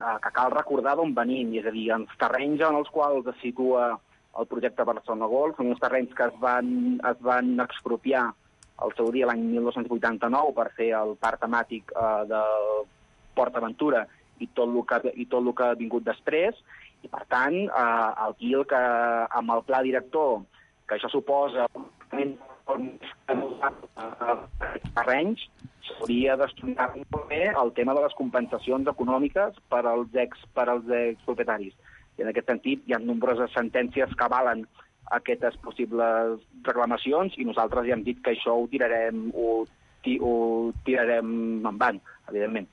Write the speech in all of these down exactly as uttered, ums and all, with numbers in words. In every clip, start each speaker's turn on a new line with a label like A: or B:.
A: que cal recordar d'on venim, és a dir, els terrenys en els quals es situa el projecte Barcelona World són uns terrenys que es van, es van expropiar al seu dia l'any mil nou-cents vuitanta-nou per fer el parc temàtic eh, del Port Aventura i tot el que, i tot el que ha vingut després, i per tant, eh, aquí el que, amb el pla director, que això suposa terrenys, s'hauria d'estudiar molt bé el tema de les compensacions econòmiques per als ex, per als expropietaris. I en aquest sentit hi ha nombroses sentències que avalen aquestes possibles reclamacions i nosaltres ja hem dit que això ho tirarem, ho, ho tirarem endavant, evidentment.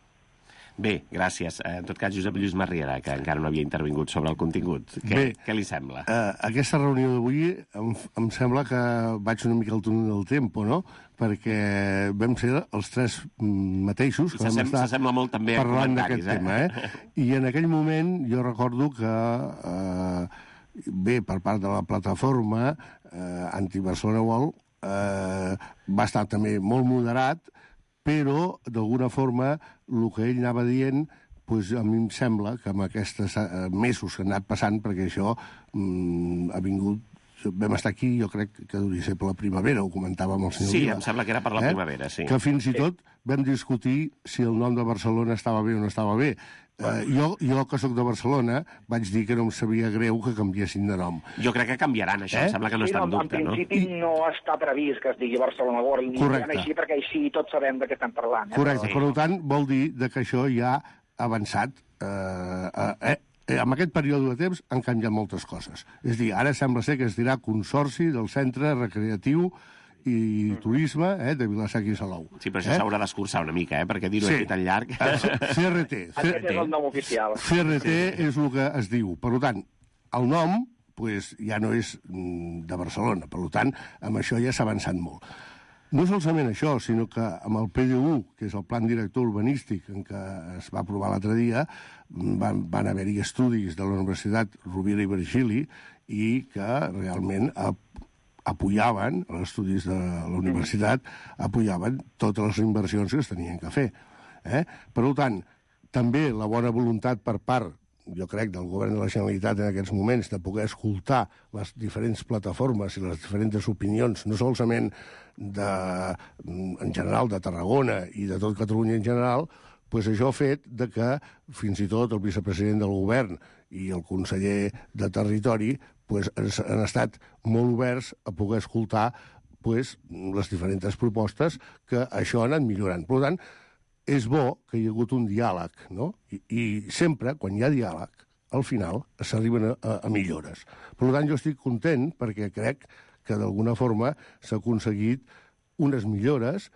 B: Bé, gràcies. En tot cas, Josep Lluís Marriera, que encara no havia intervingut sobre el contingut. Què,
C: Bé,
B: què li sembla?
C: Uh, aquesta reunió d'avui em, em sembla que vaig una mica al túnel del tempo, no? Perquè vam ser els tres mateixos que vam estar
B: s'assembla molt també a
C: parlant
B: comentaris,
C: d'aquest eh? tema. Eh? I en aquell moment jo recordo que, uh, bé, per part de la plataforma uh, Anti-Barcelona World, uh, va estar també molt moderat, però, d'alguna forma, el que ell anava dient, doncs, a mi em sembla que amb aquests mesos que han anat passant, perquè això mm, ha vingut, vam estar aquí, jo crec que hauria ser per la primavera, ho comentava amb el senyor
B: Sí,
C: Vila.
B: em sembla que era per la
C: eh?
B: primavera, sí.
C: Que fins i tot vam discutir si el nom de Barcelona estava bé o no estava bé. Uh, jo, jo, que sóc de Barcelona, vaig dir que no em sabia greu que canviessin de nom.
B: Jo crec que canviaran, això. Eh? Em sembla que no
A: sí,
B: està en
A: no,
B: dubte, no?
A: En principi no? no està previst que es digui Barcelona World, ni
C: Correcte.
A: així, perquè així tots sabem de què estem parlant. Eh?
C: Correcte.
A: Però...
C: Per tant, vol dir de que això ja ha avançat. Eh, eh, eh, en aquest període de temps han canviat moltes coses. És a dir, ara sembla ser que es dirà Consorci del Centre Recreatiu i Turisme eh, de Vila-seca i Salou.
B: Sí, però això
C: eh?
B: s'haurà d'escurçar una mica, eh? Perquè dir-ho
C: sí.
B: aquí tan llarg...
C: C R T.
A: Aquest és el nom oficial.
C: C R T és el que es diu. Per tant, el nom pues, ja no és de Barcelona. Per tant, amb això ja s'ha avançat molt. No solament això, sinó que amb el P D U, que és el Plan Director Urbanístic, en què es va aprovar l'altre dia, van, van haver-hi estudis de la Universitat Rovira i Virgili i que realment ha apoyaven, els estudis de la universitat, apoyaven totes les inversions que es tenien que fer. Eh? Per tant, també la bona voluntat per part, jo crec, del govern de la Generalitat en aquests moments, de poder escoltar les diferents plataformes i les diferents opinions, no solament de, en general de Tarragona i de tot Catalunya en general, pues això ha fet de que fins i tot el vicepresident del govern i el conseller de Territori pues, han estat molt oberts a poder escoltar pues, les diferents propostes que això ha anat millorant. Per tant, és bo que hi ha hagut un diàleg, no? I, i sempre, quan hi ha diàleg, al final s'arriben a, a, a millores. Per tant, jo estic content perquè crec que d'alguna forma s'ha aconseguit unes millores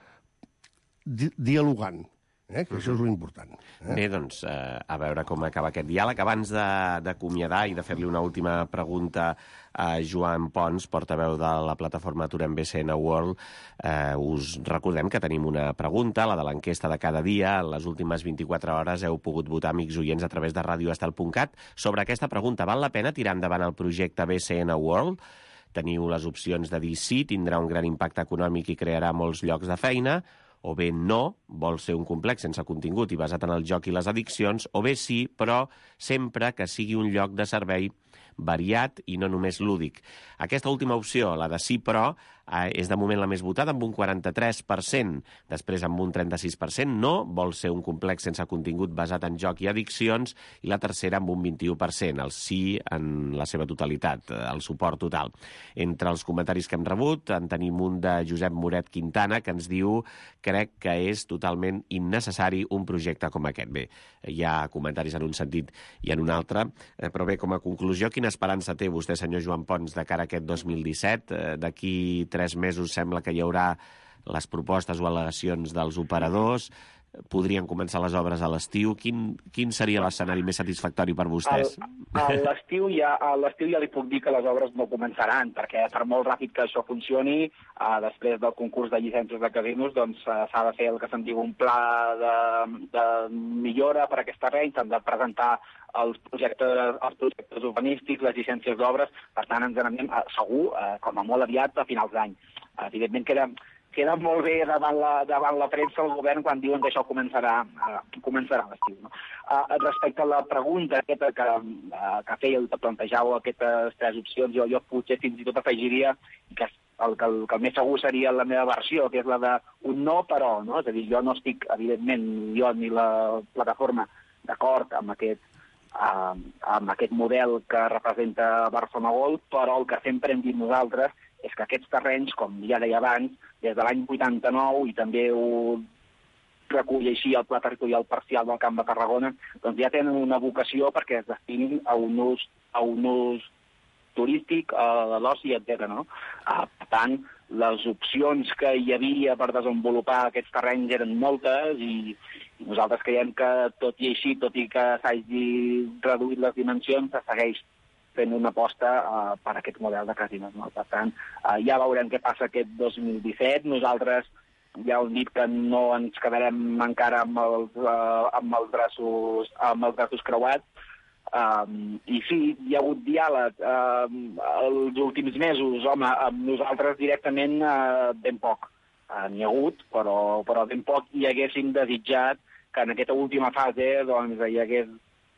C: di dialogant. Eh? Que això és l'important. Eh?
B: Bé, doncs, eh, a veure com acaba aquest diàleg. Abans d'acomiadar i de fer-li una última pregunta a Joan Pons, portaveu de la plataforma Aturem B C N World, eh, us recordem que tenim una pregunta, la de l'enquesta de cada dia. En les últimes vint-i-quatre hores heu pogut votar, amics oients, a través de radio estel punt cat. Sobre aquesta pregunta, val la pena tirar endavant el projecte B C N World? Teniu les opcions de dir sí, tindrà un gran impacte econòmic i crearà molts llocs de feina, o bé no, vol ser un complex sense contingut i basat en el joc i les addiccions, o bé sí, però sempre que sigui un lloc de servei variat i no només lúdic. Aquesta última opció, la de sí però, eh, és de moment la més votada, amb un quaranta-tres per cent. Després, amb un trenta-sis per cent, no, vol ser un complex sense contingut basat en joc i addiccions, i la tercera amb un vint-i-u per cent, el sí en la seva totalitat, el suport total. Entre els comentaris que hem rebut, en tenim un de Josep Moret Quintana, que ens diu crec que és totalment innecessari un projecte com aquest. Bé, hi ha comentaris en un sentit i en un altre, eh, però bé, com a conclusió, quina esperança té vostè, senyor Joan Pons, de cara a aquest dos mil disset? Eh, D'aquí tres mesos sembla que hi haurà les propostes o al·legacions dels operadors, podrien començar les obres a l'estiu. Quin, quin seria l'escenari més satisfactori per vostès?
A: A l'estiu ja, a l'estiu ja li puc dir que les obres no començaran, perquè per molt ràpid que això funcioni, eh, després del concurs de llicències de casinos, doncs eh, s'ha de fer el que se'n diu un pla de, de millora per a aquest terreny, s'han de presentar els projectes, els projectes urbanístics, les llicències d'obres, per tant ens n'anem eh, segur, eh, com a molt aviat, a finals d'any. Evidentment queda, queda molt bé davant la, davant la premsa el govern quan diuen que això començarà, uh, començarà a l'estiu. No? Uh, respecte a la pregunta aquesta que, uh, que fèieu, que plantejàveu aquestes tres opcions, jo, jo potser fins i tot afegiria que el, que, el, que el més segur seria la meva versió, que és la d'un no, però, no? És a dir, jo no estic, evidentment, jo ni la plataforma d'acord amb aquest, uh, amb aquest model que representa Barcelona World, però el que sempre hem dit nosaltres és que aquests terrenys, com ja deia abans, des de l'any vuitanta-nou, i també ho recull així el Pla Territorial Parcial del Camp de Tarragona, doncs ja tenen una vocació perquè es destinin a un ús, a un ús turístic, a l'oci, etcètera. No? Uh, per tant, les opcions que hi havia per desenvolupar aquests terrenys eren moltes i, i nosaltres creiem que, tot i així, tot i que s'hagi reduït les dimensions, se segueix fent una aposta uh, per aquest model de casinos. No? Per tant, uh, ja veurem què passa aquest dos mil disset. Nosaltres ja hem dit que no ens quedarem encara amb els, uh, amb els, braços, amb els braços creuats. Um, I sí, hi ha hagut diàleg um, els últims mesos. Home, amb nosaltres directament uh, ben poc. Uh, N'hi ha hagut, però, però ben poc, i haguéssim desitjat que en aquesta última fase doncs, hi hagués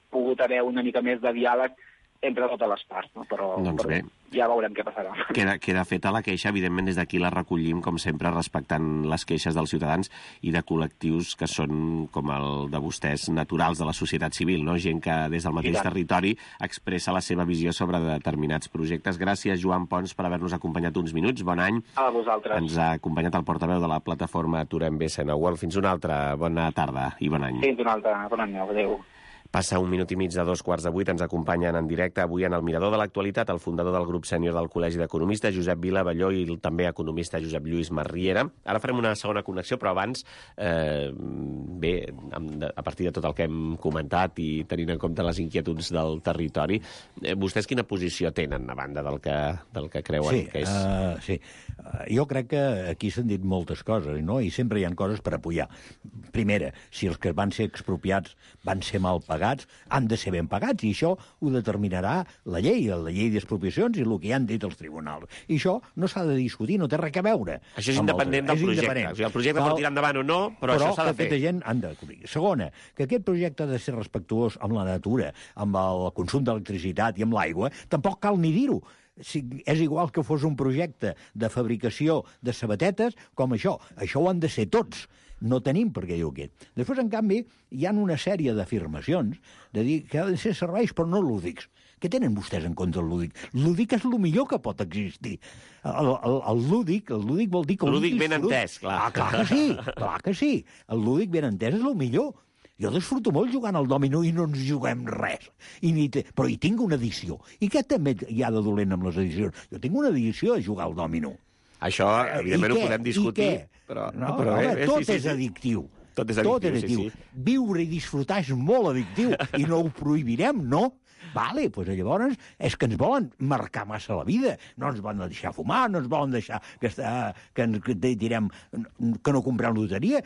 A: pogut haver una mica més de diàleg entre totes les parts, no? Però,
B: doncs
A: però
B: bé.
A: Ja veurem què passarà.
B: Queda, queda feta la queixa, evidentment des d'aquí la recollim, com sempre, respectant les queixes dels ciutadans i de col·lectius que són, com el de vostès, naturals de la societat civil, no? Gent que des del mateix territori expressa la seva visió sobre determinats projectes. Gràcies, Joan Pons, per haver-nos acompanyat uns minuts. Bon any.
A: A vosaltres.
B: Ens ha acompanyat el portaveu de la plataforma Aturem B C N World. Fins una altra. Bona tarda i bon any.
A: Fins una altra. Bon any. Adéu.
B: Passa un minut i mig de dos quarts de vuit, ens acompanyen en directe avui en el Mirador de l'Actualitat el fundador del grup sènior del Col·legi d'Economistes, Josep Vila Balló, i el també economista Josep Lluís Masriera. Ara farem una segona connexió, però abans, eh, bé, a partir de tot el que hem comentat i tenint en compte les inquietuds del territori, eh, vostès quina posició tenen a banda del que, del que creuen
D: sí,
B: que és?
D: Uh, sí, uh, jo crec que aquí s'han dit moltes coses, no? I sempre hi ha coses per apoyar. Primera, si els que van ser expropiats van ser mal pagats, han de ser ben pagats, i això ho determinarà la llei, la llei d'expropiacions i el que hi han dit els tribunals. I això no s'ha de discutir, no té res a veure.
B: Això és independent del projecte. Independent. O sigui, el projecte pot tirar endavant o no, però, però això s'ha de fer.
D: Però aquesta gent han de cobrir. Segona, que aquest projecte ha de ser respectuós amb la natura, amb el consum d'electricitat i amb l'aigua, tampoc cal ni dir-ho. Si és igual que fos un projecte de fabricació de sabatetes com això. Això ho han de ser tots. No tenim per què dir aquest. Després, en canvi, hi ha una sèrie d'afirmacions de dir que ha de ser serveis però no lúdics. Què tenen vostès en compte el lúdic? Lúdic és el millor que pot existir. El, el, el lúdic, el lúdic vol dir que...
B: Lúdic ben entès, clar.
D: Ah, clar que sí, clar que sí. El lúdic ben entès és el millor. Jo disfruto molt jugant al dòmino i no ens juguem res. I ni te... Però hi tinc una edició. I què també hi ha de dolent amb les edicions? Jo tinc una edició a jugar al dòmino.
B: Això, evidentment, ho podem discutir. Però,
D: no,
B: però
D: home,
B: bé,
D: tot
B: sí, sí,
D: és addictiu.
B: Tot és addictiu,
D: tot és addictiu.
B: sí, sí.
D: Viure i disfrutar és molt addictiu i no ho prohibirem, no? Vale, doncs llavors és que ens volen marcar massa la vida. No ens volen deixar fumar, no ens volen deixar que, està, que, que direm que no comprem loteria.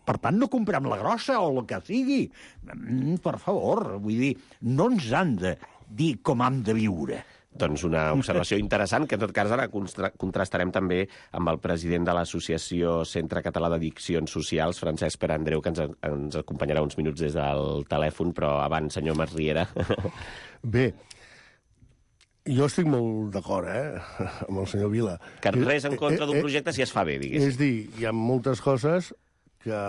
D: Per tant, no comprem la grossa o el que sigui. Mm, per favor, vull dir, no ens han de dir com hem de viure.
B: Doncs una observació interessant, que en tot cas ara contrastarem també amb el president de l'Associació Centre Català d'Addiccions Socials, Francesc Pere Andreu, que ens, ens acompanyarà uns minuts des del telèfon, però abans, senyor Masriera.
C: Bé, jo estic molt d'acord, eh, amb el senyor Vila.
B: Que res en contra d'un projecte si es fa bé, diguéssim.
C: És dir, hi ha moltes coses que,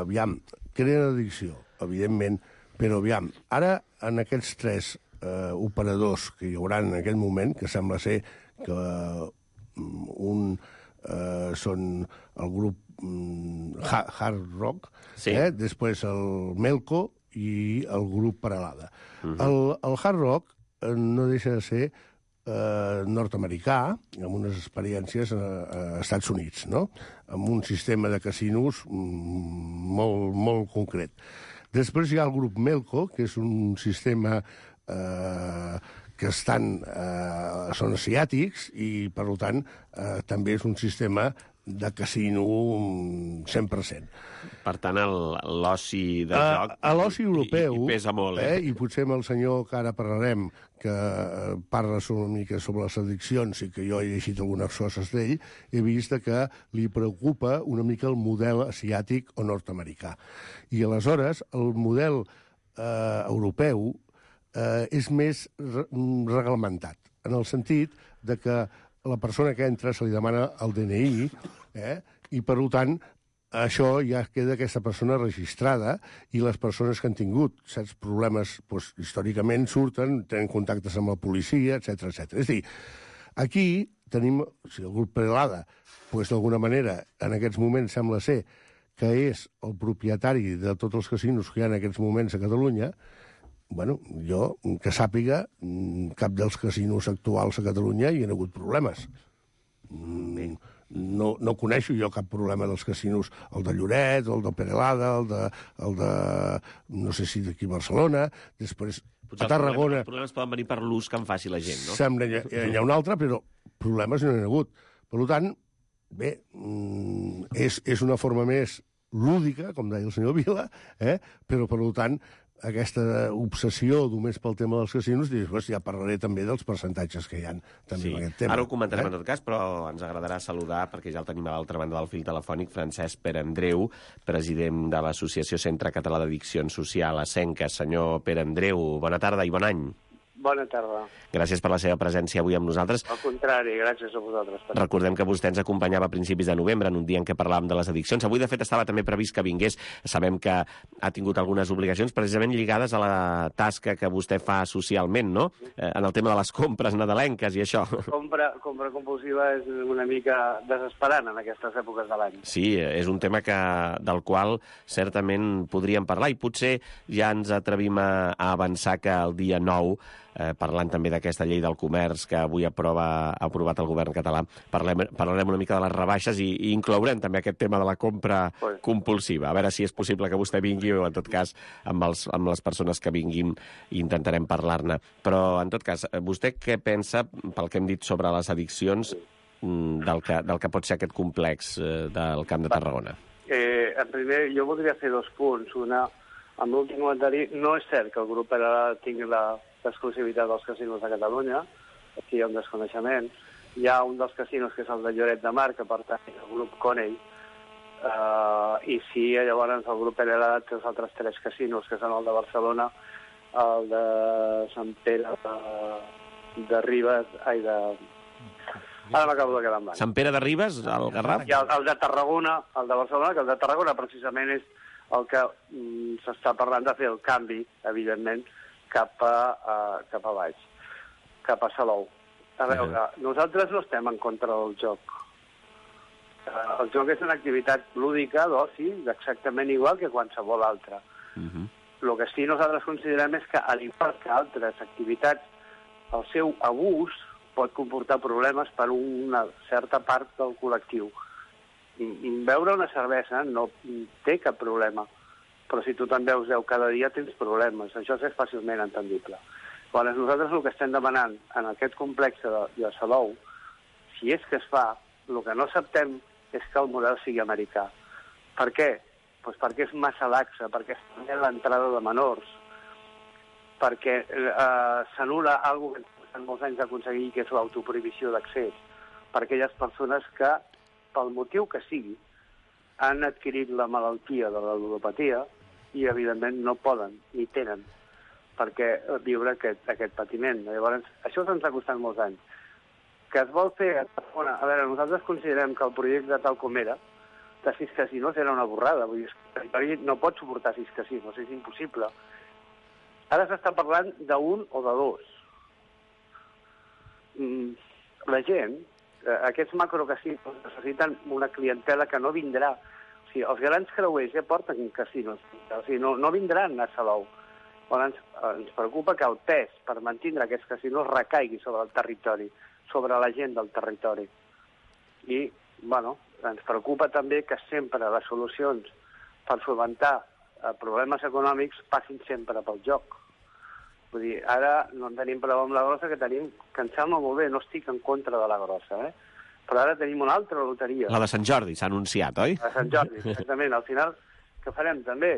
C: aviam, creen addicció, evidentment, però, aviam, ara, en aquests tres Uh, operadors que hi haurà en aquell moment, que sembla ser que uh, un uh, són el grup um, Hard Rock, sí. eh? Després el Melco i el grup Paralada. Uh-huh. el, el Hard Rock uh, no deixa de ser uh, nord-americà, amb unes experiències a, a Estats Units, no? Amb un sistema de casinos um, molt, molt concret. Després hi ha el grup Melco, que és un sistema Eh, que estan, eh, són asiàtics i, per tant, eh, també és un sistema de casino cent per cent.
B: Per tant, l'oci de
C: a,
B: joc
C: a l'oci europeu,
B: i, i pesa molt, eh?
C: eh? I potser amb el senyor que ara parlarem, que parla una mica sobre les addiccions i que jo he llegit algunes coses d'ell, he vist que li preocupa una mica el model asiàtic o nord-americà. I aleshores el model eh, europeu eh, és més re reglamentat, en el sentit de que la persona que entra se li demana el D N I, eh? I per tant això ja queda aquesta persona registrada i les persones que han tingut certs problemes doncs, històricament surten, tenen contactes amb la policia, etcètera etcètera. És a dir, aquí tenim, o sigui, el grup Perelada, doncs d'alguna manera, en aquests moments sembla ser que és el propietari de tots els casinos que hi ha en aquests moments a Catalunya. Bueno, jo, que sàpiga, cap dels casinos actuals a Catalunya hi ha hagut problemes. Mm, no, no coneixo jo cap problema dels casinos, el de Lloret, el de Perelada, el de, el de no sé si d'aquí a Barcelona, després
B: Potser
C: a Tarragona...
B: Els problemes poden venir per l'ús que en faci la gent, no?
C: Sembla que hi ha un altre, però problemes no n'hi ha hagut. Per tant, bé, és, és una forma més lúdica, com deia el senyor Vila, eh? Però per tant, aquesta obsessió només pel tema dels casinos, dius, ja parlaré també dels percentatges que hi ha també
B: sí.
C: en aquest tema.
B: Ara ho comentarem
C: eh?
B: en tot cas, però ens agradarà saludar, perquè ja el tenim a l'altra banda del fil telefònic, Francesc Perandreu, president de l'Associació Centre Català d'Addiccions Social, ASENCA. Senyor Perandreu, bona tarda i bon any.
E: Bona tarda.
B: Gràcies per la seva presència avui amb nosaltres.
E: Al contrari, gràcies a vosaltres.
B: Recordem que vostè ens acompanyava a principis de novembre, en un dia en què parlàvem de les addiccions. Avui, de fet, estava també previst que vingués. Sabem que ha tingut algunes obligacions precisament lligades a la tasca que vostè fa socialment, no? Eh, en el tema de les compres nadalenques i això.
E: Compra, compra compulsiva és una mica desesperant en aquestes èpoques de l'any.
B: Sí, és un tema que, del qual certament podríem parlar i potser ja ens atrevim a, a avançar que el dia nou, Eh, parlant també d'aquesta llei del comerç que avui aprova, ha aprovat el govern català, parlem, parlarem una mica de les rebaixes i, i inclourem també aquest tema de la compra
E: pues.
B: compulsiva. A veure si és possible que vostè vingui o, en tot cas, amb, els, amb les persones que vinguin intentarem parlar-ne. Però, en tot cas, vostè què pensa, pel que hem dit sobre les addiccions, del que, del que pot ser aquest complex eh, del Camp de Tarragona?
E: Eh, en primer, jo voldria fer dos punts. Una, amb l'últim comentari, no és cert que el grup ara tingui la l'exclusivitat dels casinos de Catalunya. Aquí hi ha un desconeixement. Hi ha un dels casinos que és el de Lloret de Mar, que pertany al grup Conell, uh, i sí, llavors el grup Perelada té els altres tres casinos, que són el de Barcelona, el de Sant Pere de, de Ribes, ai, de... Ara m'acabo de quedar en blanc.
B: Sant Pere de Ribes, el Garraf?
E: I el, el de Tarragona, el de Barcelona, que el de Tarragona precisament és el que mm, s'està parlant de fer el canvi, evidentment, cap a, uh, cap a baix, cap a Salou. A veure, uh-huh. nosaltres no estem en contra del joc. Uh, el joc és una activitat lúdica, d'oci, exactament igual que qualsevol altra.
B: Uh-huh.
E: El que sí nosaltres considerem és que, al igual que altres activitats, el seu abús pot comportar problemes per una certa part del col·lectiu. Beure una cervesa no té cap problema, però si tu te'n veus deu cada dia tens problemes. Això és fàcilment entendible. Quan nosaltres el que estem demanant en aquest complex de, de Salou, si és que es fa, el que no acceptem és que el model sigui americà. Per què? Pues perquè és massa laxa, perquè es permet l'entrada de menors, perquè eh, s'anul·la alguna cosa que en molts anys d'aconseguir, que és l'autoprohibició d'accés, per aquelles persones que, pel motiu que sigui, han adquirit la malaltia de la ludopatia i, evidentment, no poden ni tenen per què viure aquest, aquest patiment. Llavors, això se'ns ha costat molts anys. Que es vol fer... Bueno, a veure, nosaltres considerem que el projecte tal com era, de sis casinos, era una borrada. Vull dir, el territori no pot suportar sis casinos, és impossible. Ara s'està parlant d'un o de dos. La gent, aquests macrocasinos, necessiten una clientela que no vindrà. O sigui, els grans creuers ja porten casinos, o sigui, no, no vindran a Salou. Però ens, ens preocupa que el pes per mantenir aquests casinos recaigui sobre el territori, sobre la gent del territori. I, bueno, ens preocupa també que sempre les solucions per solventar problemes econòmics passin sempre pel joc. Vull dir, ara no en tenim prou amb la grossa, que tenim, que em sembla molt bé, no estic en contra de la grossa, eh? Però ara tenim una altra loteria.
B: La de Sant Jordi s'ha anunciat, oi?
E: A Sant Jordi, exactament. Al final, què farem també?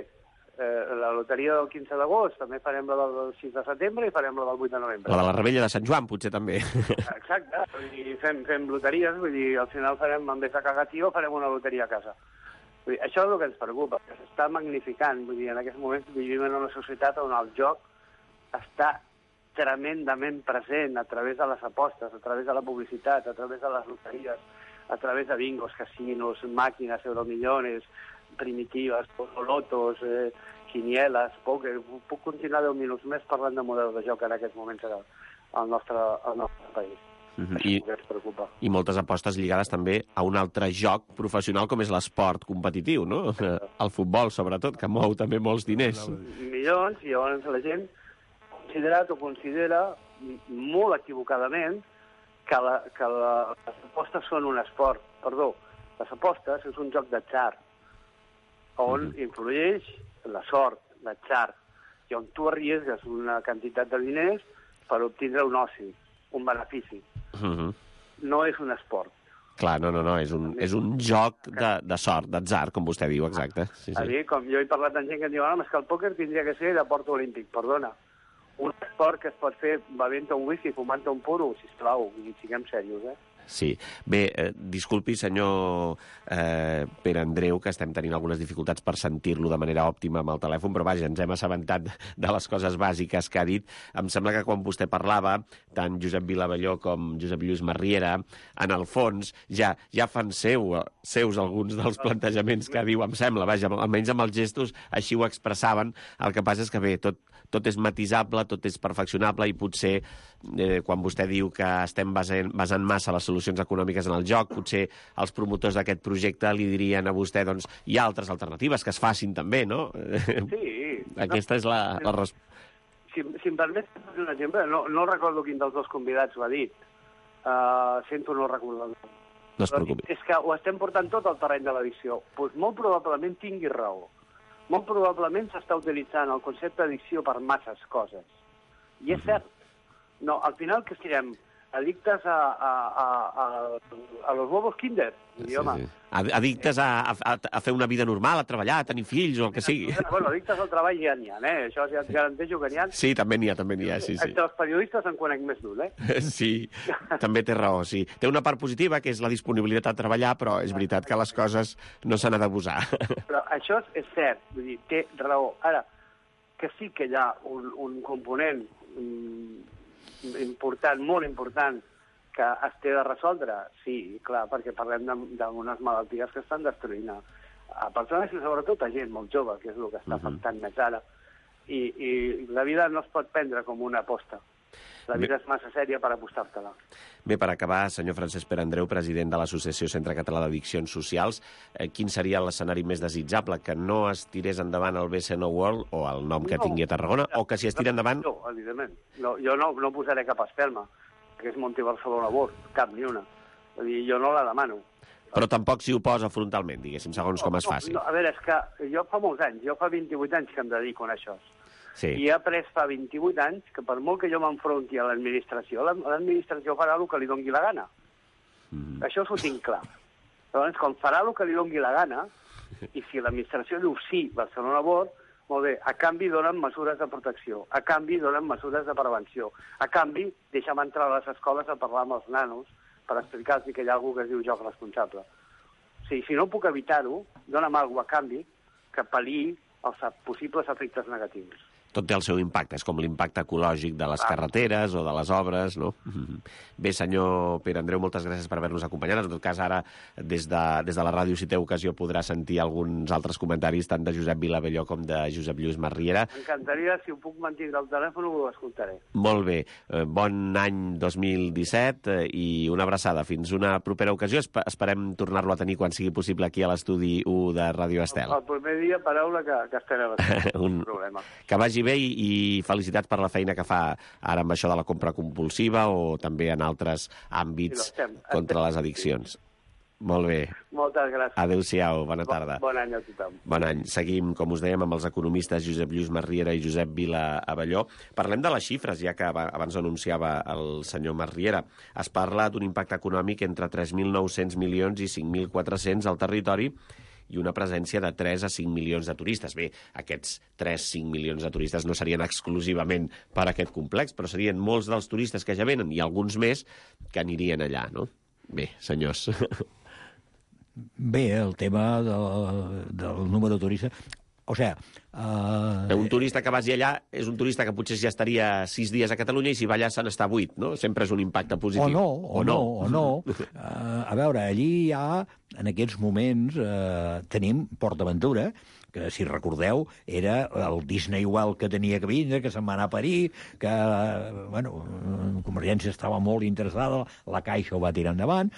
E: Eh, la loteria del quinze d'agost, també farem la del sis de setembre i farem la del vuit de novembre.
B: La de la Rebella de Sant Joan, potser també.
E: Exacte, vull dir, fem, fem loteries, vull dir, al final farem, en vez de cagar tio, farem una loteria a casa. Vull dir, això és el que ens preocupa, que s'està magnificant, vull dir, en aquests moments vivim en una societat on el joc està tremendament present a través de les apostes, a través de la publicitat, a través de les loteries, a través de bingos, casinos, màquines, euromillones, primitives, lotos, eh, quinieles, pòquer. Puc continuar deu minuts més parlant de models de joc en aquests moments al nostre, al nostre país.
B: Mm-hmm.
E: I,
B: I,
E: ens preocupa.
B: I moltes apostes lligades també a un altre joc professional com és l'esport competitiu, no? El futbol, sobretot, que mou també molts diners.
E: Milions, i llavors la gent considerat o considera molt equivocadament que, la, que la, les apostes són un esport. Perdó, les apostes és un joc d'atzar on mm-hmm. influeix la sort, l'atzar, i on tu arriesgues una quantitat de diners per obtindre un oci, un benefici.
B: Mm-hmm.
E: No és un esport.
B: Clar, no, no, no, és un, és un joc de, de sort, d'atzar, com vostè diu, exacte. Sí, sí.
E: A dir, com jo he parlat amb gent que em diu, no, és que el pòquer tindria que ser de port olímpic, perdona. Un esport que es pot fer bevent un whisky, fumant un puro, sisplau, i siguem serios, eh?
B: Sí. Bé, eh, disculpi, senyor eh, Pere Andreu, que estem tenint algunes dificultats per sentir-lo de manera òptima amb el telèfon, però vaja, ens hem assabentat de les coses bàsiques que ha dit. Em sembla que quan vostè parlava, tant Josep Vilavelló com Josep Lluís Marriera, en el fons, ja ja fan seu, seus alguns dels plantejaments que diu, em sembla, vaja, almenys amb els gestos, així ho expressaven. El que passa és que, bé, tot, tot és matisable, tot és perfeccionable, i potser, eh, quan vostè diu que estem basant, basant massa les solucions econòmiques en el joc, potser els promotors d'aquest projecte li dirien a vostè, doncs, hi ha altres alternatives que es facin també, no?
E: Sí.
B: Aquesta és la, la resposta.
E: Si, si em permet un exemple, no, no recordo quin dels dos convidats ho ha dit. Uh, sento no recordar.
B: No es preocupi.
E: És que ho estem portant tot al terreny de l'addició. Pues molt probablement tingui raó. Molt probablement s'està utilitzant el concepte d'addició per masses coses. I és cert. No, al final que siguem addictes a, a, a, a, a los huevos Kinder. I,
B: Sí,
E: home,
B: sí. Addictes a, a, a fer una vida normal, a treballar, a tenir fills o el que sigui.
E: bueno, addictes al treball ja n'hi ha, eh? Això ja et garanteixo que n'hi ha.
B: Sí, també n'hi ha, també n'hi ha, sí, sí.
E: Entre els periodistes en conec més d'un, eh?
B: Sí, també té raó, sí. Té una part positiva, que és la disponibilitat a treballar, però és veritat que les coses no s'han d'abusar.
E: Però això és cert, vull dir, té raó. Ara, que sí que hi ha un, un component mm, important, molt important, que es té de resoldre? Sí, clar, perquè parlem d'unes malalties que estan destruint a, a persones i sobretot a gent molt jove, que és el que està afectant més ara. I, I la vida no es pot prendre com una aposta. La vida és massa sèria per apostar-te-la.
B: Bé, per acabar, senyor Francesc Pere Andreu, president de l'Associació Centre Català d'Addiccions Socials, eh, quin seria l'escenari més desitjable? Que no es tirés endavant el B C N World, o el nom que
E: No.
B: tingui a Tarragona, o que si es tira endavant...
E: No, evidentment. No, jo no, no posaré cap espelma, que és Monti Barcelona World, cap ni una. Vull dir, jo no la demano.
B: Però tampoc s'hi oposa frontalment, diguéssim, segons com es faci.
E: No, no, a veure, és que jo fa molts anys, jo fa vint-i-vuit anys que em dedico a això.
B: Sí.
E: I he après fa vint-i-vuit anys que per molt que jo m'enfronti a l'administració, l'administració farà el que li dongui la gana. Mm. Això s'ho tinc clar. Llavors, quan farà el que li dongui la gana, i si l'administració diu sí, Barcelona World, molt bé, a canvi donen mesures de protecció, a canvi donen mesures de prevenció, a canvi deixa'm entrar a les escoles a parlar amb els nanos per explicar-los que hi ha algú que es diu joc responsable. O sigui, si no puc evitar-ho, dona'm alguna cosa a canvi que pal·liï els possibles efectes negatius.
B: Tot té el seu impacte, és com l'impacte ecològic de les carreteres o de les obres, no? Bé, senyor Pere Andreu, moltes gràcies per haver-nos acompanyat. En tot cas, ara, des de, des de la ràdio, si té ocasió, podrà sentir alguns altres comentaris, tant de Josep Vilavelló com de Josep Lluís Marriera.
E: M'encantaria, si ho puc mantindre al telèfon, ho escoltaré.
B: Molt bé. Bon any dos mil disset i una abraçada. Fins una propera ocasió. Esperem tornar-lo a tenir quan sigui possible aquí a l'estudi u de Ràdio Estel.
E: El primer dia, paraula, que, que estarà bastant.
B: Un
E: problema.
B: Que vagi bé i felicitats per la feina que fa ara amb això de la compra compulsiva o també en altres àmbits
E: Sí, estem,
B: contra
E: estem,
B: les addiccions. Molt bé.
E: Moltes gràcies.
B: Adéu-siau, bona tarda.
E: Bon any a tothom.
B: Bon any. Seguim, com us dèiem, amb els economistes Josep Lluís Masriera i Josep Vila Abelló. Parlem de les xifres, ja que abans anunciava el senyor Masriera. Es parla d'un impacte econòmic entre tres mil nou-cents milions i cinc mil quatre-cents al territori i una presència de tres a cinc milions de turistes. Bé, aquests tres a cinc milions de turistes no serien exclusivament per aquest complex, però serien molts dels turistes que ja venen i alguns més que anirien allà, no? Bé, senyors...
D: Bé, el tema del, del número de turistes... O sigui... Uh...
B: Un turista que vagi allà és un turista que potser ja estaria sis dies a Catalunya i si va allà se n'està vuit, no? Sempre és un impacte positiu.
D: O no, o, o no, o no. Uh, a veure, allí hi ha, en aquests moments, uh, tenim PortAventura, que, si recordeu, era el Disney World que tenia que vindre, que se'n va anar a parir, que, bueno, Convergència estava molt interessada, la Caixa ho va tirar endavant,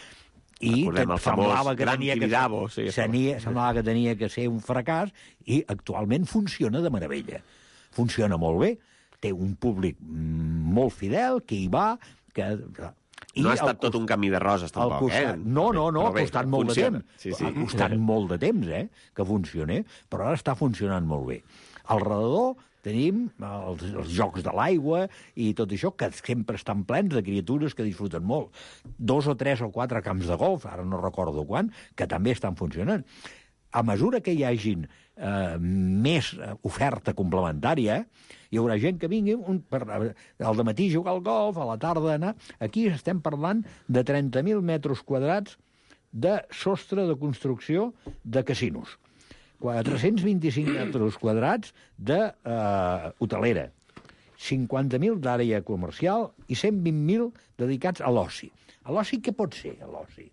D: i semblava que, tenia que,
B: sí,
D: senia, semblava que tenia que ser un fracàs i actualment funciona de meravella. Funciona molt bé, té un públic molt fidel que hi va... Que,
B: I no ha estat tot un camí de roses, tampoc,
D: costat,
B: eh?
D: No, no, no, ha costat molt
B: funciona.
D: de temps.
B: Sí, sí.
D: Ha costat molt de temps, eh, que funcioni, però ara està funcionant molt bé. Al redador tenim els, els jocs de l'aigua i tot això, que sempre estan plens de criatures que disfruten molt. Dos o tres o quatre camps de golf, ara no recordo quan, que també estan funcionant. A mesura que hi hagin eh, més oferta complementària, hi haurà gent que vingui un, per, al dematí jugar al golf, a la tarda anar... Aquí estem parlant de trenta mil metres quadrats de sostre de construcció de casinos. quatre-cents vint-i-cinc metres quadrats d'hotelera, uh, cinquanta mil d'àrea comercial i cent vint mil dedicats a l'oci. A l'oci què pot ser, a l'oci?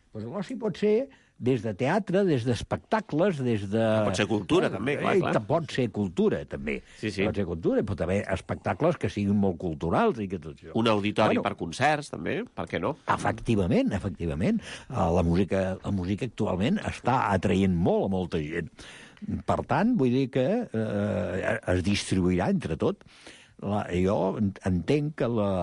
D: Pues l'oci pot ser des de teatre, des d'espectacles, des de...
B: Pot ser cultura, també, clar, clar.
D: Pot ser cultura, també.
B: Sí, sí.
D: Pot ser cultura, pot haver espectacles que siguin molt culturals i que tot això.
B: Un auditori
D: bueno,
B: per concerts, també, per què no?
D: Efectivament, efectivament. La música, la música actualment està atraient molt a molta gent. Per tant, vull dir que eh, es distribuirà entre tot. La, jo entenc que la,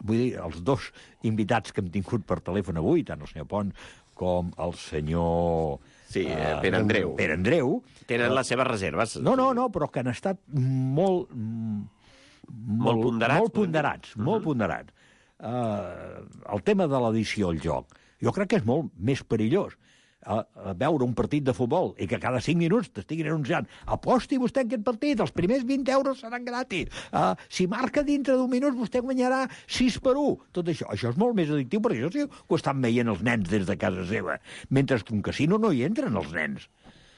D: vull dir, els dos invitats que hem tingut per telèfon avui, tant el senyor Pont com el senyor...
B: Sí, eh, Pere Andreu.
D: Pere Andreu.
B: Tenen les seves reserves.
D: No, no, no, però que han estat molt...
B: Molt, molt ponderats.
D: Molt ponderats, uh -huh. molt ponderats. Uh, el tema de l'edició al joc, jo crec que és molt més perillós. A, a veure un partit de futbol i que cada cinc minuts t'estiguin anunciant aposti vostè en aquest partit, els primers vint euros seran gratis, uh, si marca dintre d'un minut vostè guanyarà sis per un. Tot això, això és molt més addictiu perquè això sí que ho estan veient els nens des de casa seva, mentre que un casino no hi entren els nens,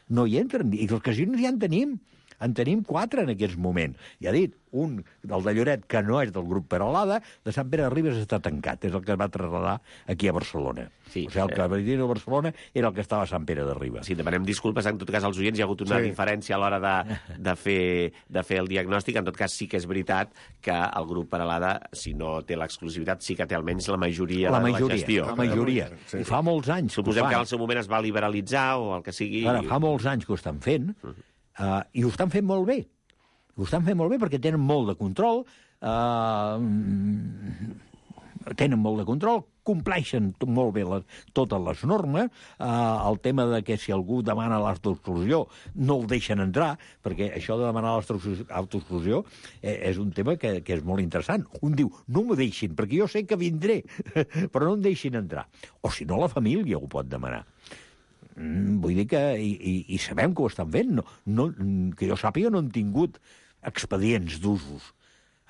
D: no hi entren, i els casinos ja en tenim. En tenim quatre en aquests moments. Ja dit, un del de Lloret, que no és del grup Peralada, de Sant Pere de Ribes està tancat. És el que es va traslladar aquí a Barcelona. Sí, o sigui, el que va dir a Barcelona era el que estava a Sant Pere de Ribes.
B: Sí, demanem disculpes en tot cas als oients. Hi ha hagut una sí. diferència a l'hora de, de, fer, de fer el diagnòstic. En tot cas, sí que és veritat que el grup Peralada, si no té l'exclusivitat, sí que té almenys la majoria,
D: la majoria
B: de la gestió.
D: La majoria. Sí, sí. I fa molts anys
B: Suposem que, que en el seu moment es va liberalitzar o el que sigui.
D: Ara, fa molts anys que ho estan fent, uh -huh. Uh, i ho estan fent molt bé. Ho estan fent molt bé perquè tenen molt de control, uh, tenen molt de control, compleixen molt bé les, totes les normes, uh, el tema de que si algú demana l'autoexclusió no el deixen entrar, perquè això de demanar l'autoexclusió és un tema que, que és molt interessant. Un diu, no m'ho deixin, perquè jo sé que vindré, però no em deixin entrar. O si no, la família ho pot demanar. Vull dir que... I, i, i sabem que ho estan fent. No, no, que jo sàpiga, no han tingut expedients d'usos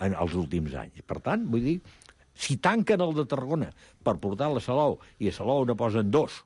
D: en els últims anys. Per tant, vull dir, si tanquen el de Tarragona per portar la Salou i a Salou ne posen dos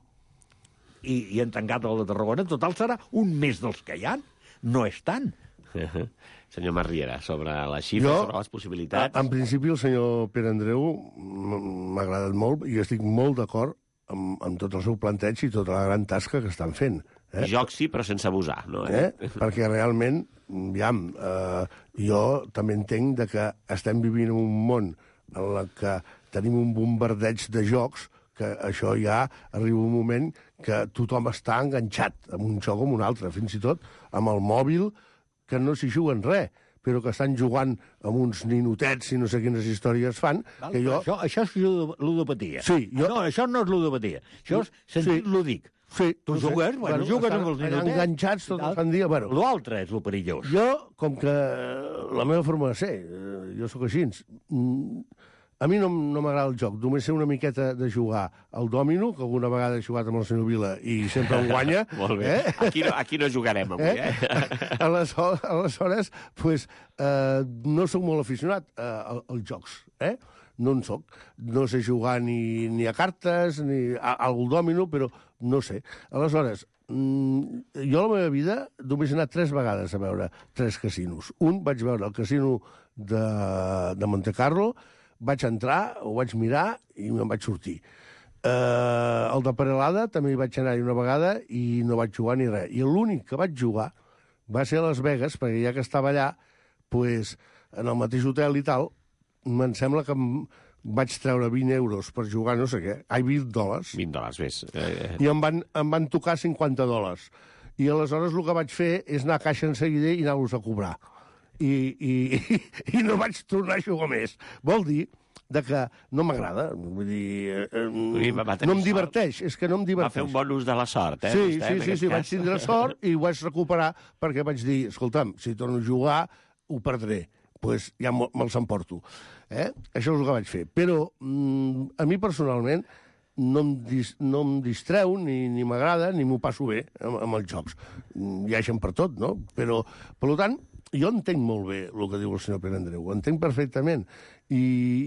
D: i, i han tancat el de Tarragona, total serà un més dels que hi ha. No és tant.
B: Uh-huh. Senyor Masriera, sobre les xifres, jo, sobre les possibilitats...
C: En principi, el senyor Pere Andreu m'ha agradat molt i estic molt d'acord amb, amb tot el seu planteig i tota la gran tasca que estan fent. Eh?
B: Joc sí, però sense abusar, no?
C: Eh? Perquè realment, aviam, eh, jo també entenc de que estem vivint en un món en el que tenim un bombardeig de jocs que això ja arriba un moment que tothom està enganxat amb un joc o amb un altre, fins i tot amb el mòbil, que no s'hi juguen res, però que estan jugant amb uns ninotets i no sé quines històries fan,
D: Val,
C: que jo...
D: Això, això és ludo- ludopatia.
C: Sí, jo-
D: No, això no és ludopatia. Això és sentit
C: Sí.
D: lúdic.
C: Sí,
D: Tu
C: no sé.
D: jugues, bueno, jugues
C: estan
D: amb els
C: allà
D: ninotets.
C: enganxats tot el sant dia. Bueno,
D: L'altre és el perillós.
C: jo, com que la meva forma de ser, eh, jo sóc així, mm, a mi no, no m'agrada el joc. Només sé una miqueta de jugar al dòmino, que alguna vegada he jugat amb el senyor Vila i sempre em guanya.
B: Molt bé.
C: Eh?
B: Aquí, no, aquí no jugarem avui, eh?
C: eh? Aleshores, aleshores pues, eh, no sóc molt aficionat eh, als jocs, eh? No en soc. No sé jugar ni, ni a cartes, ni a, al dòmino, però no sé. Aleshores, mm, jo a la meva vida només he anat tres vegades a veure tres casinos. Un vaig veure el casino de, de Monte Carlo, vaig entrar, ho vaig mirar i me'n vaig sortir. Eh, el de Perelada també hi vaig anar una vegada i no vaig jugar ni res. I l'únic que vaig jugar va ser a Las Vegas, perquè ja que estava allà, pues, en el mateix hotel i tal, me'n sembla que em vaig treure vint euros per jugar no sé què, ai, vint dòlars,
B: vint dòlars, més. Eh,
C: i em van, em van tocar cinquanta dòlars. I aleshores el que vaig fer és anar a caixa en seguida i anar-los a cobrar. I, i, i, i no vaig tornar a jugar més. Vol dir de que no m'agrada. Vull dir, eh,
B: dir, va- va tenir
C: no em
B: sort.
C: diverteix, és que no em
B: va
C: diverteix.
B: fer un bon ús de la sort, eh?
C: Sí,
B: vostè,
C: sí,
B: en
C: sí,
B: aquest
C: sí,
B: cas.
C: vaig tindre sort i ho vaig recuperar perquè vaig dir, escolta'm, si torno a jugar, ho perdré. Doncs pues ja me- me'ls emporto. Eh? Això és el que vaig fer. Però mm, a mi personalment no em, dis, no em distreu, ni, ni m'agrada, ni m'ho passo bé amb, amb els jocs. Mm, Hi ha gent per tot, no? Però, per tant, jo entenc molt bé el que diu el senyor Pere Andreu, ho entenc perfectament, i,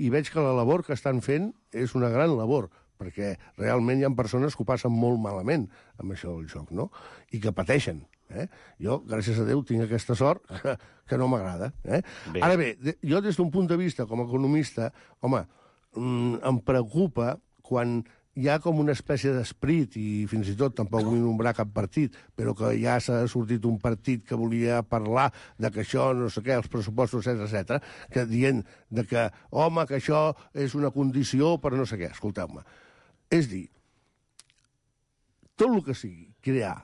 C: i veig que la labor que estan fent és una gran labor, perquè realment hi ha persones que ho passen molt malament amb això del joc, no? I que pateixen. Eh? Jo, gràcies a Déu, tinc aquesta sort que, que no m'agrada. Eh?
B: Bé.
C: Ara bé, de, jo des d'un punt de vista com a economista, home, mm, em preocupa quan hi ha com una espècie d'esprit, i fins i tot tampoc vull nombrar cap partit, però que ja s'ha sortit un partit que volia parlar de que això, no sé què, els pressupostos, etcètera, etcètera, que dient de que, home, que això és una condició per no sé què. Escolteu-me. És dir, tot el que sigui crear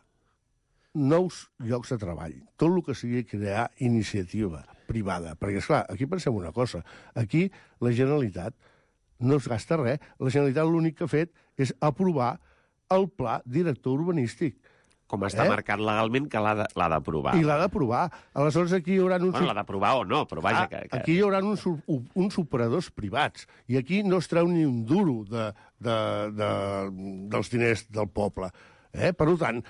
C: nous llocs de treball, tot el que sigui crear iniciativa privada. Perquè, esclar, aquí pensem una cosa. Aquí la Generalitat no es gasta res. La Generalitat l'únic que ha fet és aprovar el pla director urbanístic.
B: Com està
C: Eh?
B: marcat legalment que l'ha de- l'ha d'aprovar.
C: I l'ha d'aprovar. Aleshores, aquí hi haurà uns...
B: Bueno, l'ha d'aprovar o no, però vaja...
C: Ah,
B: que, que...
C: aquí hi haurà uns, uns operadors privats i aquí no es treu ni un duro de, de, de, dels diners del poble. Eh? Per tant,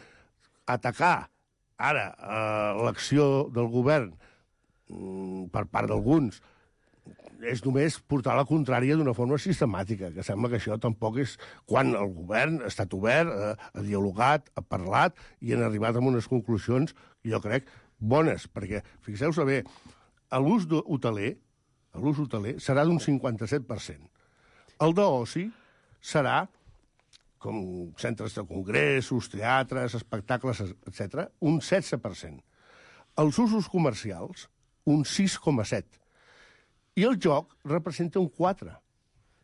C: atacar ara eh, l'acció del govern mm, per part d'alguns és només portar la contrària d'una forma sistemàtica, que sembla que això tampoc és quan el govern ha estat obert, eh, ha dialogat, ha parlat i han arribat a unes conclusions, jo crec, bones, perquè, fixeu-se bé, l'ús hoteler, l'ús hoteler serà d'un cinquanta-set per cent. El d'oci serà, com centres de congressos, teatres, espectacles, etcètera, un setze per cent. Els usos comercials, un sis coma set per cent. I el joc representa un quatre per cent.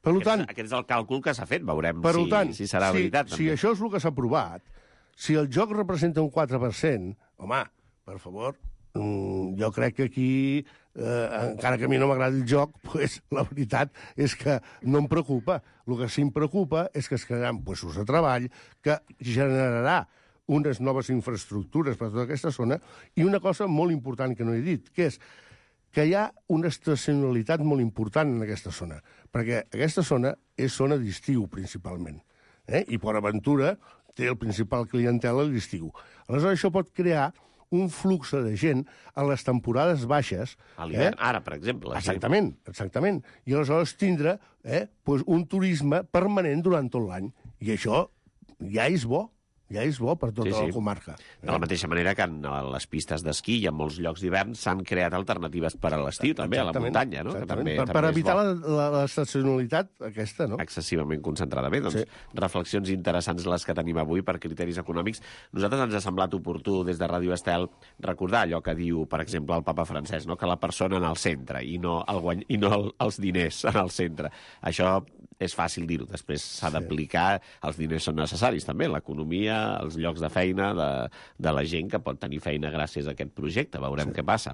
C: Per
B: Aquest,
C: tant,
B: aquest és el càlcul que s'ha fet, veurem
C: per
B: si,
C: tant,
B: si serà
C: si,
B: veritat.
C: si
B: també.
C: això és el que s'ha aprovat, si el joc representa un quatre per cent, home, per favor, mm, jo crec que aquí, eh, encara que a mi no m'agradi el joc, pues, la veritat és que no em preocupa. El que sí em preocupa és que es crearan puestos de treball, que generarà unes noves infraestructures per a tota aquesta zona, i una cosa molt important que no he dit, que és que hi ha una estacionalitat molt important en aquesta zona, perquè aquesta zona és zona d'estiu, principalment. Eh? I Port Aventura té el principal clientela a l'estiu. Aleshores, això pot crear un flux de gent a les temporades baixes.
B: A l'hivern,
C: eh?
B: ara, per exemple. sí.
C: Exactament, exactament. I aleshores tindre eh, pues un turisme permanent durant tot l'any. I això ja és bo. Ja és bo per tota
B: Sí, sí.
C: la comarca.
B: De la mateixa manera que en les pistes d'esquí i en molts llocs d'hivern s'han creat alternatives per a l'estiu, també, a la
C: Exactament,
B: muntanya, no? Que
C: exactament.
B: també,
C: per,
B: també
C: per
B: és
C: evitar
B: bo.
C: la, la, l'estacionalitat aquesta, no?
B: Excessivament concentrada. Bé, doncs,
C: Sí.
B: reflexions interessants les que tenim avui per criteris econòmics. Nosaltres ens ha semblat oportú, des de Ràdio Estel, recordar allò que diu, per exemple, el papa francès, no? Que la persona en el centre i no, el guany... i no el, els diners en el centre. Això és fàcil dir-ho. Després s'ha
C: Sí.
B: d'aplicar, els diners són necessaris també, l'economia, els llocs de feina de, de la gent que pot tenir feina gràcies a aquest projecte. Veurem sí. què passa.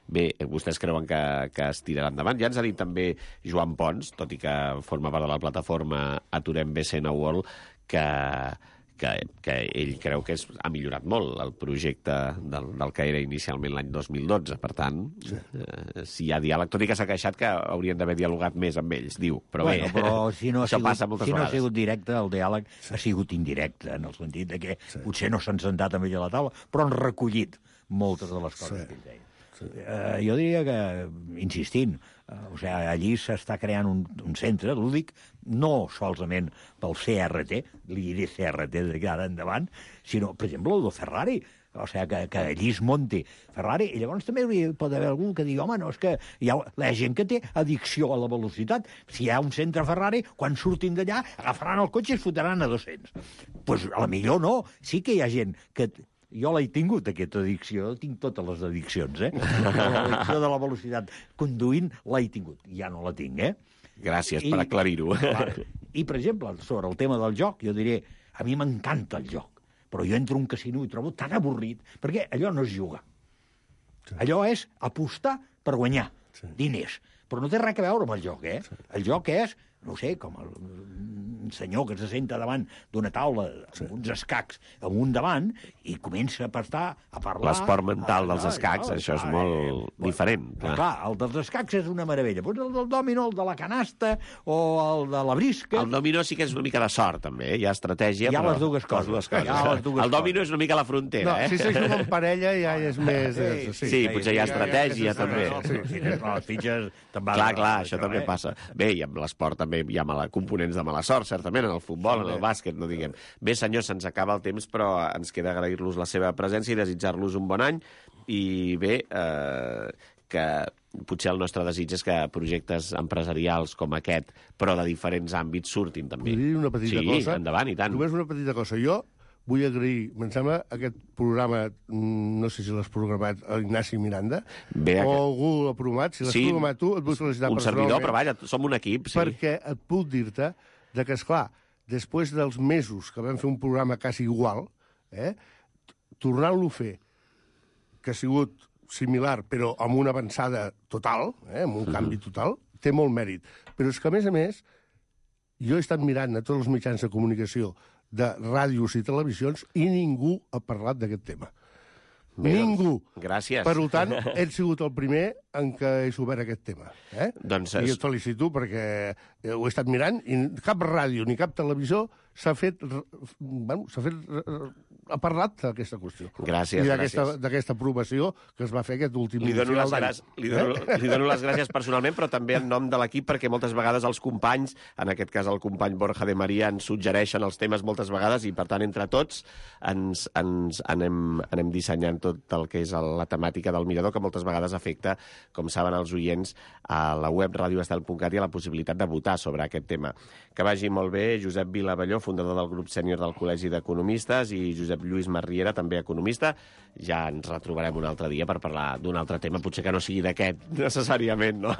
B: Bé, vostès creuen que, que es tirarà endavant. Ja ens ha dit també Joan Pons, tot i que forma part de la plataforma Aturem B C N World, que, que, que ell creu que és, ha millorat molt el projecte del, del que era inicialment l'any dos mil dotze. Per tant, sí. eh, si hi ha diàleg, tot i que s'ha queixat que haurien d'haver dialogat més amb ells, diu. Però
D: bueno,
B: bé,
D: però si no ha
B: això
D: sigut,
B: passa moltes
D: si no
B: vegades.
D: ha sigut directe, el diàleg sí. ha sigut indirecte, en el sentit de que sí. potser no s'han sentat amb ell a la taula, però han recollit moltes de les coses sí. que ell deia. Sí. Uh, jo diria que, insistint, uh, o sigui, allí s'està creant un, un centre lúdic, no solament pel C R T, li diré C R T d'ara endavant, sinó, per exemple, el de Ferrari, o sigui, que, que allí es monti Ferrari, i llavors també hi pot haver algú que digui, home, no, és que hi ha la gent que té addicció a la velocitat. Si hi ha un centre Ferrari, quan surtin d'allà, agafaran el cotxe i es fotran a dos-cents. Doncs pues, a la millor no. Sí que hi ha gent que... Jo l'he tingut, aquesta addicció, tinc totes les addiccions, eh? L'addicció de la velocitat conduint l'he tingut, ja no la tinc, eh?
B: Gràcies
D: I,
B: per aclarir-ho.
D: I, per exemple, sobre el tema del joc, jo diré, a mi m'encanta el joc, però jo entro a un casino i trobo tan avorrit, perquè allò no és jugar. Sí. Allò és apostar per guanyar sí. diners, però no té res a veure amb el joc, eh? Sí. El joc és, no sé, com el un senyor que se senta davant d'una taula sí. amb uns escacs amunt davant i comença a pastar, a parlar...
B: L'esport mental a, dels escacs, no, això és molt eh, diferent.
D: Clar. clar, el dels escacs és una meravella. Pues el del dòmino, el de la canasta o el de la brisca...
B: El dòmino sí que és una mica de sort, també. Hi ha estratègia,
D: hi ha
B: però...
D: les dues coses.
B: Les dues coses.
D: Ha les dues
B: el dòmino
D: coses.
B: és una mica la frontera,
C: no,
B: eh?
C: Si se juga en parella ja és més...
B: Sí, sí, sí, sí potser hi ha estratègia, també.
D: Sí, sí, les fitxes...
B: Clar, clar, això també passa. Bé, i amb l'esport també hi ha mala, components de mala sort, certament, en el futbol, en el bàsquet, no diguem. Bé, senyors, se'ns acaba el temps, però ens queda agrair-los la seva presència i desitjar-los un bon any. I bé, eh, que potser el nostre desig és que projectes empresarials com aquest, però de diferents àmbits, surtin també.
C: Vull dir una petita
B: sí,
C: cosa?
B: Sí, endavant, i tant.
C: Només una petita cosa. Jo vull agrair, em sembla, aquest programa, no sé si l'has programat Ignasi Miranda,
B: Bé,
C: o algú l'ha programat, si l'has
B: sí,
C: programat tu, et vull felicitar
B: un
C: personalment.
B: servidor, però vaja, som un equip, sí.
C: Perquè et puc dir-te de que, esclar, després dels mesos que vam fer un programa quasi igual, eh, tornant-lo a fer, que ha sigut similar, però amb una avançada total, eh, amb un uh-huh. canvi total, té molt mèrit. Però és que, a més a més, jo he estat mirant a tots els mitjans de comunicació de ràdios i televisions i ningú ha parlat d'aquest tema. Bé, ningú.
B: Doncs, gràcies.
C: Per tant, he sigut el primer en què he obert aquest tema. Eh?
B: Doncs
C: I
B: és...
C: et felicito perquè ho he estat mirant i cap ràdio ni cap televisió s'ha fet... Bueno, s'ha fet... ha parlat d'aquesta qüestió.
B: Gràcies,
C: I d'aquesta,
B: gràcies.
C: d'aquesta aprovació que es va fer aquest últim
B: li dono,
C: final
B: les gràcies, li, dono, eh? li dono les gràcies personalment, però també en nom de l'equip, perquè moltes vegades els companys, en aquest cas el company Borja de Maria, ens suggereixen els temes moltes vegades i, per tant, entre tots ens, ens anem, anem dissenyant tot el que és la temàtica del mirador, que moltes vegades afecta, com saben els oients, a la web radioestel punt cat i a la possibilitat de votar sobre aquest tema. Que vagi molt bé Josep Vilavelló, fundador del grup sènior del Col·legi d'Economistes, i Josep Lluís Marriera, també economista. Ja ens retrobarem un altre dia per parlar d'un altre tema, potser que no sigui d'aquest necessàriament, no?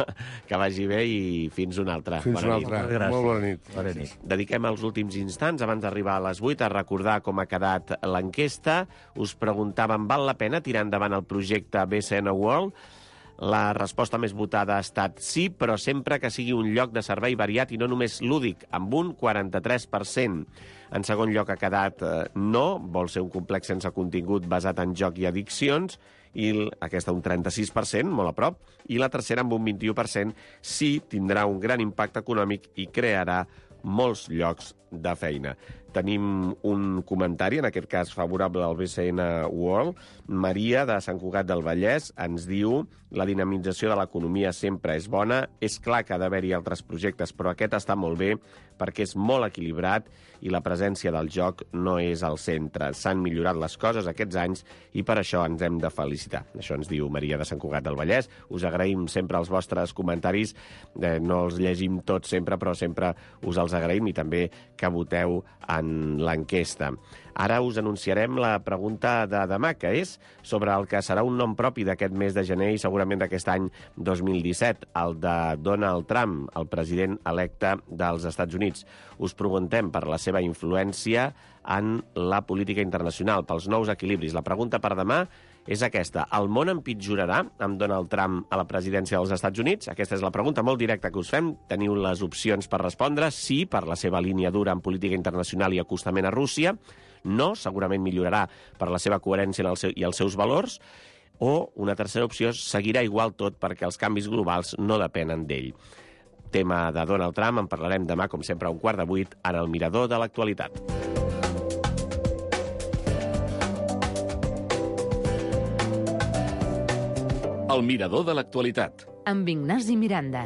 B: Que vagi bé i fins una altra.
C: Fins
B: bona
C: una altra.
B: Nit.
C: Molt bona nit.
D: Bona nit.
B: Dediquem els últims instants, abans d'arribar a les vuit, a recordar com ha quedat l'enquesta. Us preguntàvem, val la pena tirar endavant el projecte B C N World? La resposta més votada ha estat sí, però sempre que sigui un lloc de servei variat i no només lúdic, amb un quaranta-tres per cent. En segon lloc ha quedat eh, no, vol ser un complex sense contingut basat en joc i addiccions, i aquesta un trenta-sis per cent, molt a prop, i la tercera amb un vint-i-u per cent sí, tindrà un gran impacte econòmic i crearà molts llocs de feina. Tenim un comentari, en aquest cas favorable al B C N World. Maria, de Sant Cugat del Vallès, ens diu: la dinamització de l'economia sempre és bona. És clar que ha d'haver-hi altres projectes, però aquest està molt bé perquè és molt equilibrat i la presència del joc no és al centre. S'han millorat les coses aquests anys i per això ens hem de felicitar. Això ens diu Maria, de Sant Cugat del Vallès. Us agraïm sempre els vostres comentaris. Eh, no els llegim tots sempre, però sempre us els agraïm, i també que voteu en l'enquesta. Ara us anunciarem la pregunta de demà, que és sobre el que serà un nom propi d'aquest mes de gener i segurament d'aquest any dos mil disset, el de Donald Trump, el president electe dels Estats Units. Us preguntem per la seva influència en la política internacional, pels nous equilibris. La pregunta per demà és aquesta. El món empitjorarà amb Donald Trump a la presidència dels Estats Units? Aquesta és la pregunta molt directa que us fem. Teniu les opcions per respondre. Sí, per la seva línia dura en política internacional i acostament a Rússia. No, segurament millorarà per la seva coherència en el seu, i els seus valors. O una tercera opció, seguirà igual tot perquè els canvis globals no depenen d'ell. Tema de Donald Trump, en parlarem demà, com sempre, a un quart de vuit, en el Mirador de l'actualitat.
F: El Mirador de l'actualitat.
G: Amb Ignasi Miranda.